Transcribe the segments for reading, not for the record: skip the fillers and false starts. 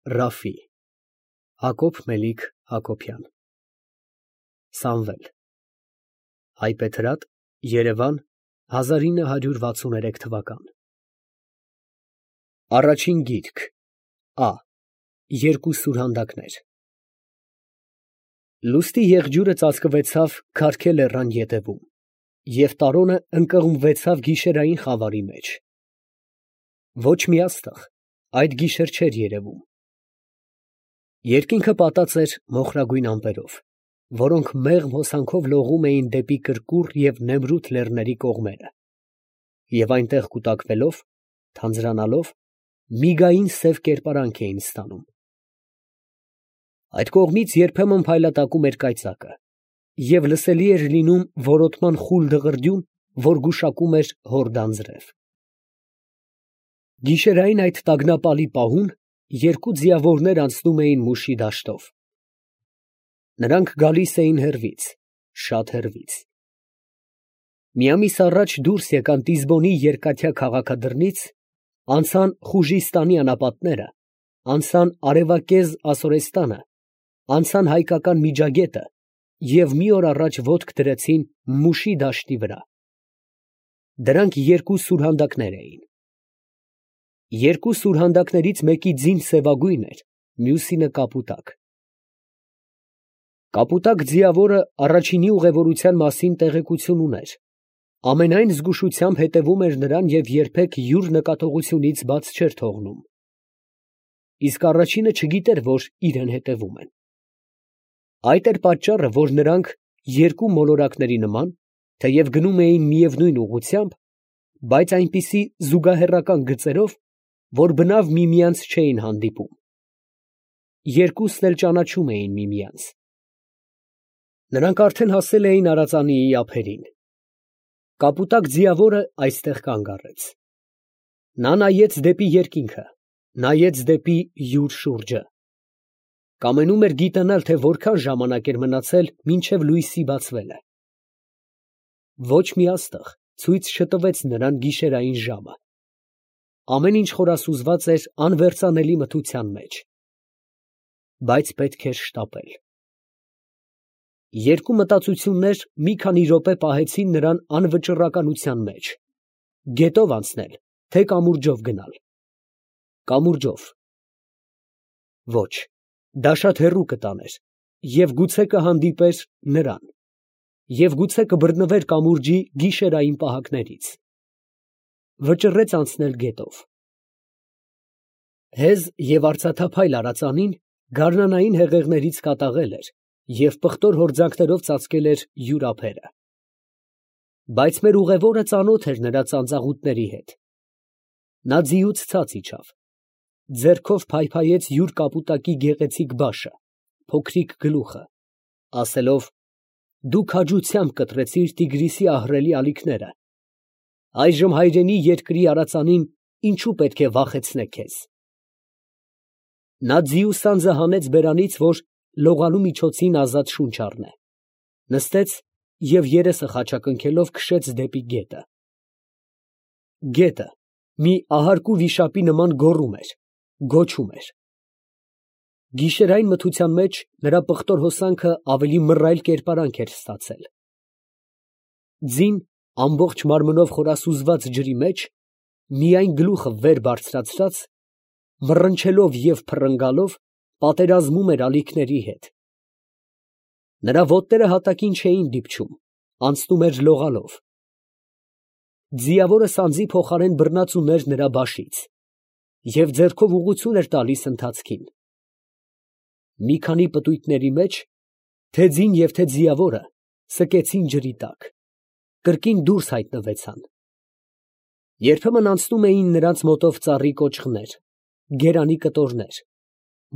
Ռաֆի Հակոբ Մելիք Հակոբյան Սամվել Հայբեթրատ Երևան 1963 թվական Առաջին գիրք Ա Երկու սուրհանդակներ Լուստի եղջյուրը ծածկվեցավ Քարքե լեռան ետևում և տարոնը ընկղմվեցավ գիշերային խավարի մեջ։ Ոչ մի աստղ այդ գիշեր չէր երևում։ Երկինքը պատած էր մոխրագույն ամպերով, որոնք մեղմ հոսանքով լողում էին դեպի Կրկուր և Նեմրութ լեռների կողմերը, և այնտեղ կուտակվելով, թանձրանալով, միգային սև կերպարանք էին ստանում։ Այդ կողմից երբեմն փայլատակում էր կայծակը, և լսելի էր լինում որոտման խուլ դղրդյուն, որ գուշակում էր հոր դանձրև։ Գիշերային այդ տագնապալի պահուն երկու ձիավորներ անցնում էին Մուշի դաշտով։ Նրանք գալիս էին հեռվից, շատ հեռվից։ Մի ամիս առաջ դուրս եկան Տիզբոնի երկաթյա քաղաքադրնից, անցան Խուժիստանի անապատները, անցան արևակեզ Ասորեստանը, անցան հայկական Միջագետը և մի օր առաջ ոտք դրեցին Մուշի դաշտի վրա։ Դրանք երկու սուրհանդակներ էին։ Երկու սուրհանդակներից մեկի ձին սևագույն էր, մյուսինը կապուտակ։ Կապուտակ ձիավորը առաջինի ուղևորության մասին տեղեկություն ուներ, ամենայն զգուշությամբ հետևում էր նրան և երբեք յուր նկատողությունից բաց չէր թողնում։ Իսկ առաջինը չգիտեր, որ իրան հետևում են։ Այդ էր պատճառը, որ նրանք երկու մոլորակների նման, թեև գնում էին միևնույն ուղղությամբ, բայց այնպիսի զուգահեռական գծերով, որ բնավ միմյանց չէին հանդիպում։ Երկուսն էլ ճանաչում էին միմյանց։ Նրանք արդեն հասել էին Արածանիի ափերին։ Կապուտակ ձիավորը այստեղ կանգ առեց։ Նա նայեց դեպի երկինքը, նայեց դեպի յուր շուրջը։ Կամենում էր գիտենալ, թե որքան ժամանակ էր մնացել մինչև լույսի բացվելը։ Ոչ մի աստղ ցույց չտվեց նրան գիշերային ժամը։ Ամեն ինչ խորասուզված էր անվերծանելի մթության մեջ։ Բայց պետք էր շտապել։ Երկու մտածություններ մի քանի րոպե պահեցին նրան անվճռականության մեջ. գետով անցնել, թե կամուրջով գնալ։ Կամուրջով։ Ոչ, դա շատ հեռու կտաներ, և գուցե կհանդիպեր նրան, և գուցե կբռնվեր կամուրջի գիշերային պահակներից։ Վճռեց անցնել գետով։ Հեզ և արծաթափայլ արձանին գարնանային հեղեղներից կատաղել էր և պղտոր հորձանքներով ծածկել էր յուր ափերը։ Բայց մեր ուղևորը ծանոթ էր նրա ծանծաղուտների հետ։ Նա ձիուց ցած իջավ, ձեռքով փայփայեց յուր կապուտակի գեղեցիկ բաշը, փոքրիկ գլուխը, ասելով. «Դու քաջությամբ կտրեցիր Տիգրիսի ահռելի ալիքները, այժմ հայրենի երկրի արձանին ինչու պետք է վախեցնե քեզ»։ Նա ձիու սանձը հանեց բերանից, որ լողալու միջոցին ազատ շունչ առնե, նստեց և երեսը խաչակնքելով քշեց դեպի գետը։ Գետը մի ահարկու վիշապի նման գոռում էր, գոչում էր։ Գիշերային մթության մեջ նրա պղտոր հոսանքը ավելի մռայլ կերպարանք էր ստացել։ Ձին ամբողջ մարմնով խորասուզված ջրի մեջ, միայն գլուխը վեր բարձրացրած, մռնչելով և փռնգալով, պատերազմում էր ալիքների հետ։ Նրա ոտները հատակին չէին դիպչում, անցնում էր լողալով։ Ձիավորը սանձի փոխարեն բռնած ուներ նրա բաշից և ձեռքով ուղղություն էր տալիս ընթացքին։ Մի քանի պտույտների մեջ թե ձին և թե ձիավորը սկեցին ջրի տակ, կրկին դուրս հայտնվեցան։ Երբեմն անցնում էին նրանց մոտով ծառի կոճղներ, գերանի կտորներ,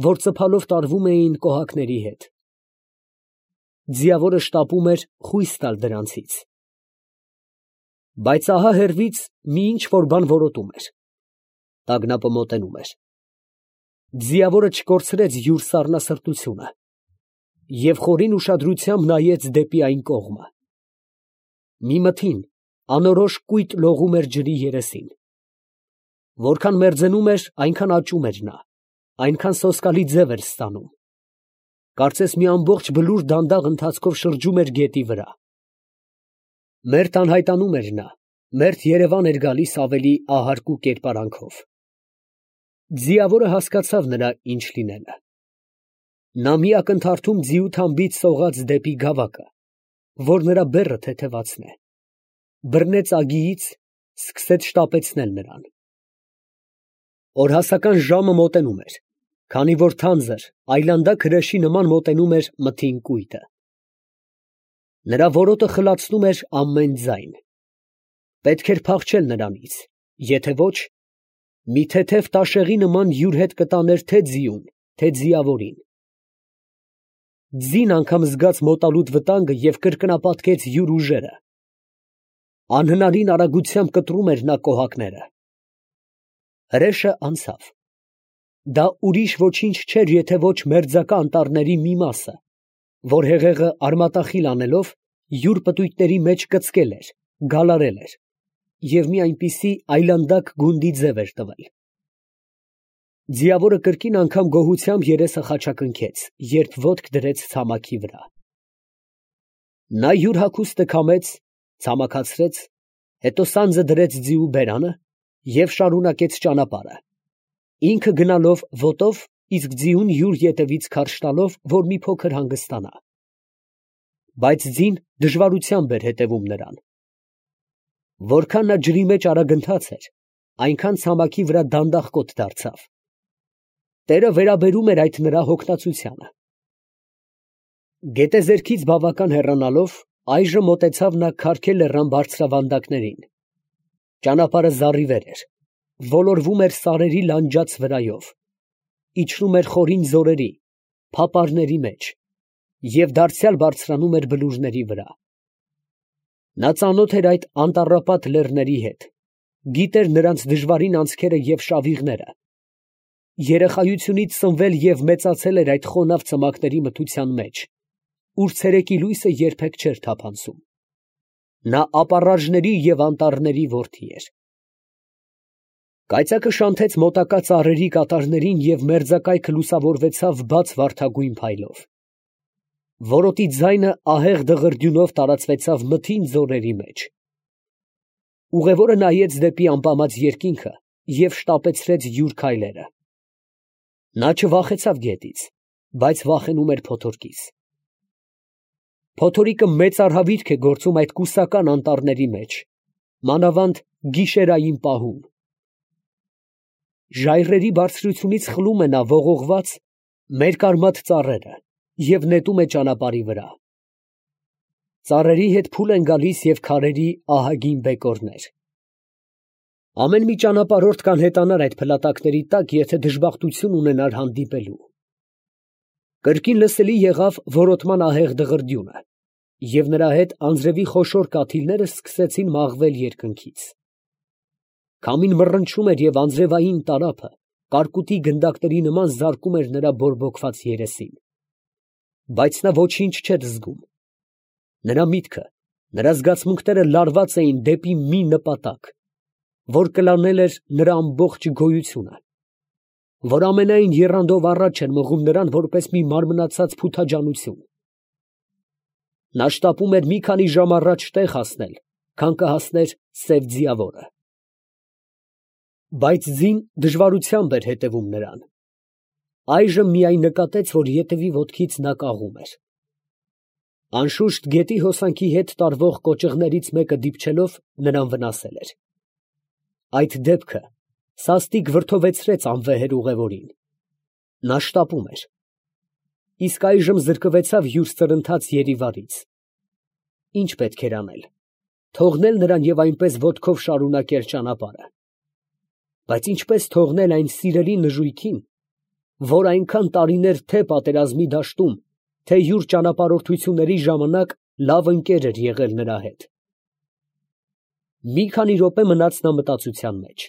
որ ծփալով տարվում էին կոհակների հետ։ Ձիավորը շտապում էր խույս տալ դրանցից։ Բայց ահա հեռվից մի ինչ֊որ բան որոտում էր։ Տագնապը մոտենում էր։ Ձիավորը չկորցրեց յուր սառնասրտությունը և խորին ուշադրությամբ նայեց դեպի այն կողմը։ Մի մթին անորոշ կույտ լողում էր ջրի երեսին։ Որքան մերձենում էր, այնքան աճում էր նա, այնքան սոսկալի ձև էր ստանում։ Կարծես մի ամբողջ բլուր դանդաղ ընթացքով շրջում էր գետի վրա։ Մերթ անհայտանում էր նա, մերթ երևան էր գալիս ավելի ահարկու կերպարանքով։ Ձիավորը հասկացավ նրա ինչ լինելը։ Նա մի ակնթարթում ձիու թամբից սողաց դեպի գավակը, որ նրա բեռը թեթևացնե, բռնեց ագիից, սկսեց շտապեցնել նրան։ Օրհասական ժամը մոտենում էր, քանի որ թանձր, այլանդակ հրեշի նման մոտենում էր մթին կույտը։ Նրա որոտը խլացնում էր ամեն ձայն։ Պետք էր փախչել նրանից, եթե ոչ, մի թեթև տաշեղի նման յուր հետ կտաներ թե ձիուն, թե ձիավորին։ Ձին անգամ զգաց մոտալուտ վտանգը և կրկնապատկեց յուր ուժերը։ Անհնարին արագությամբ կտրում էր նա կոհակները։ Հրեշը անցավ։ Դա ուրիշ ոչինչ չէր, եթե ոչ մերձակա անտառների մի մասը, որ հեղեղը արմատախիլ անելով յուր պտույտների մեջ կծկել էր, գալարել էր և մի այնպիսի այլանդակ գունդի ձև էր տվել։ Ձիավորը կրկին անգամ գոհությամբ երեսը խաչակնքեց, երբ ոտք դրեց ցամաքի վրա։ Նա յուր հագուստը քամեց, ցամաքացրեց, հետո սանձը դրեց ձիու բերանը և շարունակեց ճանապարհը, ինքը գնալով ոտով, իսկ ձիուն յուր ետևից քարշ տալով, որ մի փոքր հանգստանա։ Բայց ձին դժվարությամբ էր հետևում նրան։ Որքան նա ջրի մեջ արագընթաց էր, այնքան ցամաքի վրա դանդաղ կոթ դարձավ։ Տերը վերաբերում էր այդ նրա հոգնածությանը։ Գետեզերքից բավական հեռանալով, այժմ մոտեցավ նա Քարքե լեռան բարձրավանդակներին։ Ճանապարհը զառիվեր էր, ոլորվում էր սարերի լանջաց վրայով, իջնում էր խորին ձորերի, փապարների մեջ և դարձյալ բարձրանում էր բլուրների վրա։ Նա ծանոթ էր այդ անտառապատ լեռների հետ, գիտեր նրանց դժվարին անցքերը և շավիղները։ Երեխայությունից սնվել և մեծացել էր այդ խոնավ ցմաքների մթության մեջ, ուր ցերեկի լույսը երբեք չէր թափանցում։ Նա ապառաժների և անտառների որդի էր։ Կայծակը շանթեց մոտակա ծառերի կատարներին և մերձակայքը լուսավորվեցավ բաց վարդագույն փայլով։ Որոտի ձայնը ահեղ դղրդյունով տարածվեցավ մթին ձորերի մեջ։ Ուղևորը նայեց դեպի ամպամած երկինքը և շտապեցրեց յուր քայլերը։ Նա չվախեցավ գետից, բայց վախենում էր փոթորկից։ Փոթորիկը մեծ արհավիրք է գործում այդ կուսական անտառների մեջ, մանավանդ գիշերային պահում։ Ժայռերի բարձրությունից խլում է նա ողողված, մերկարմատ ծառերը և նետում է ճանապարհի վրա։ Ծառերի հետ փուլ են գալիս և քարերի ահագին բեկորներ։ Ամեն մի ճանապարհորդ կանհետանար այդ փլատակների տակ, եթե դժբախտություն ունենար հանդիպելու։ Կրկին լսելի եղավ որոտման ահեղ դղրդյունը, և նրա հետ անձրևի խոշոր կաթիլները սկսեցին մաղվել երկնքից։ Քամին մռնչում էր և անձրևային տարափը կարկուտի գնդակների նման զարկում էր նրա բորբոքված երեսին։ Բայց նա ոչինչ չէր զգում։ Նրա միտքը, նրա զգացմունքները լարված էին դեպի մի նպատակ, որ կլանել էր նրա ամբողջ գոյությունը, որ ամենայն եռանդով առաջ էր մղում նրան որպես մի մարմնացած փութաջանություն։ Նա շտապում էր մի քանի ժամ առաջ տեղ հասնել, քան կհասներ սև ձիավորը։ Բայց ձին դժվարությամբ էր հետևում նրան։ Այժմ միայն նկատեց, որ ետևի ոտքից նա կաղում էր։ Անշուշտ գետի հոսանքի հետ տարվող կոճղներից մեկը դիպչելով նրան վնասել էր։ Այդ դեպքը սաստիկ վրդովեցրեց անվեհեր ուղևորին։ Նա շտապում էր։ Իսկ այժմ զրկվեցավ յուր սրընթաց երիվարից։ Ինչ պետք էր անել։ Թողնել նրան և այնպես ոտքով շարունակել ճանապարհը։ Բայց ինչպես թողնել այն սիրելի նժույգին, որ այնքան տարիներ թե պատերազմի դաշտում, թե յուր ճանապարհորդությունների ժամանակ լավ ընկեր էր եղել նրա հետ։ Մի քանի րոպե մնաց նա մտածության մեջ։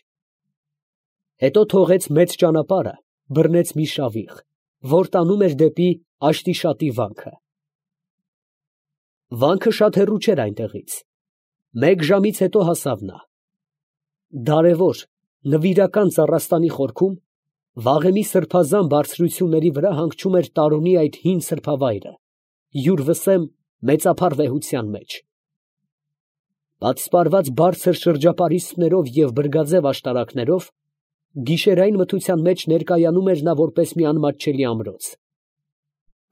Հետո թողեց մեծ ճանապարհը, բռնեց մի շավիղ, որ տանում էր դեպի Աշտիշատի վանքը։ Վանքը շատ հեռու չէր այնտեղից։ Մեկ ժամից հետո հասավ նա։ Դարևոր, նվիրական ծառաստանի խորքում Վաղեմի սրբազան բարձրությունների վրա հանգչում էր Տարոնի այդ հին սրբավայրը, յուր վսեմ մեծափառ վեհության մեջ։ Պատսպարված բարձր շրջապարիսպներով և բրգաձև աշտարակներով, գիշերային մթության մեջ ներկայանում էր նա որպես մի անմատչելի ամրոց։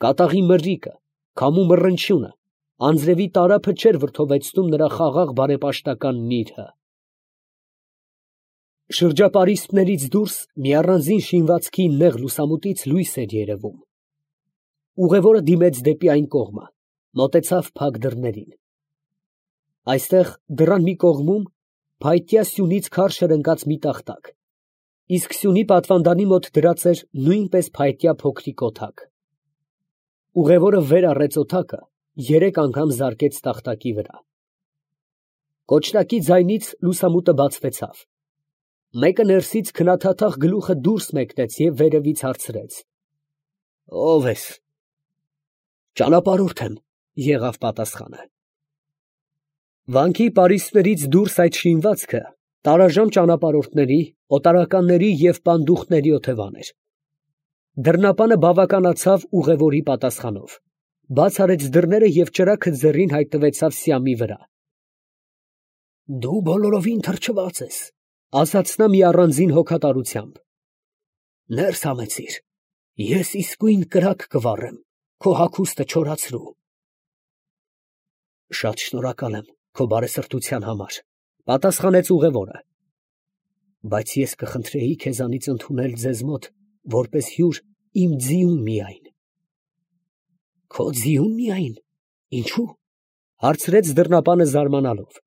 Կատաղի մրրիկը, քամու մռնչյունը, անձրևի տարափը չէր վրդովեցնում նրա խաղաղ բարեպաշտական նիրհը։ Շրջապարիսպներից դուրս մի առանձին շինվածքի նեղ լուսամուտից լույս էր երևում։ Ուղևորը դիմեց դեպի այն կողմը, մոտեցավ փակ դռներին։ Այստեղ դռան մի կողմում փայտյա սյունից քարշ էր ընկած մի տախտակ, իսկ սյունի պատվանդանի մոտ դրած էր նույնպես փայտյա փոքրիկ օթակ։ Ուղևորը վեր առեց օթակը, 3 անգամ զարկեց տախտակի վրա։ Կոչնակի ձայնից լուսամուտը բացվեցավ։ Մեկը ներսից քնաթաթախ գլուխը դուրս մեկնեց և վերևից հարցրեց. «Ո՞վ ես»։ «Ճանապարհորդ եմ», եղավ պատասխանը։ Վանքի պարիսպներից դուրս այդ շինվածքը տարաժամ ճանապարհորդների, օտարականների և պանդուխտների օթևան էր։ Դռնապանը բավականացավ ուղևորի պատասխանով, բաց արեց դռները և ճրագը ձեռին հայտնվեցավ սյամի վրա։ «Դու բոլորովին թրջված ես», ասաց նա մի առանձին հոգատարությամբ։ «Ներս համեցիր, ես իսկույն կրակ կվառեմ, քո հագուստը չորացրու»։ «Շատ շնորհակալ եմ քո բարեսրտության համար», պատասխանեց ուղևորը, «բայց ես կխնդրեի քեզանից ընդունել ձեզ մոտ որպես հյուր իմ ձիուն միայն»։ «Քո ձիուն միայն, ինչո՞ւ»։ Հարցրեց դռնապանը զարմանալով։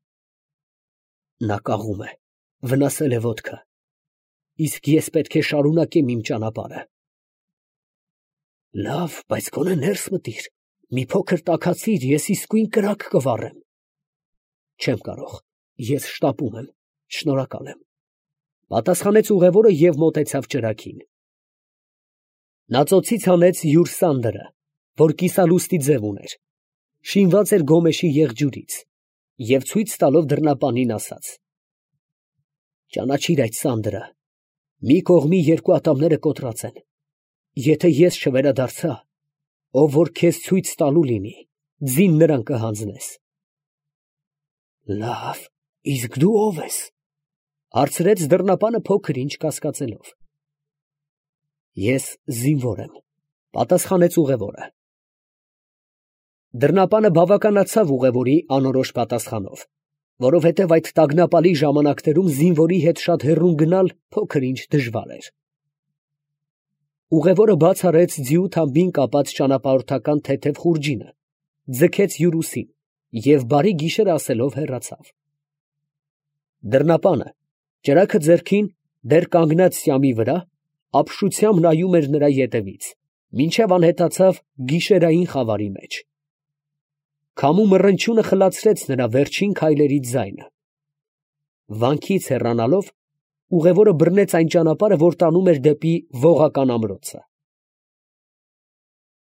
«Նա կաղում է, վնասել է ոտքը, իսկ ես պետք է շարունակեմ իմ ճանապարհը»։ «Լավ, բայց գոնե ներս մտիր, մի փոքր տաքացիր, ես իսկույն կրակ կվառեմ»։ «Չեմ կարող, ես շտապում եմ, շնորհակալ եմ», պատասխանեց ուղևորը և մոտեցավ ճրագին։ Նա ծոցից հանեց յուր սանդրը, որ կիսալուստի ձև ուներ, շինված էր գոմեշի եղջյուրից, և ցույց տալով դռնապանին ասաց. «Ճանաչիր այդ սանդրը, մի կողմի 2 ատամները կոտրած են, եթե ես չվերադարձա, ով որ քեզ ցույց տալու լինի, ձին նրան կհանձնես»։ «Լավ, իսկ դու ո՞վ ես», հարցրեց դռնապանը փոքր ինչ կասկածելով։ «Ես զինվոր եմ», պատասխանեց ուղևորը։ Դռնապանը բավականացավ ուղևորի անորոշ պատասխանով, որովհետև այդ տագնապալի ժամանակներում զինվորի հետ շատ հեռուն գնալ փոքր ինչ դժվար էր։ Ուղևորը բաց արեց ձիու թամբին կապած ճանապարհորդական թեթև խուրջինը, ձգեց յուր ուսին և բարի գիշեր ասելով հեռացավ։ Դռնապանը, ճրագը ձեռքին, դեռ կանգնած սյամի վրա, ապշությամբ նայում էր նրա ետևից, մինչև անհետացավ գիշերային խավարի մեջ։ Քամու մռնչյունը խլացրեց նրա վերջին քայլերի ձայնը։ Վանքից հեռանալով, ուղևորը բռնեց այն ճանապարհը, որ տանում էր դեպի Ողական ամրոցը։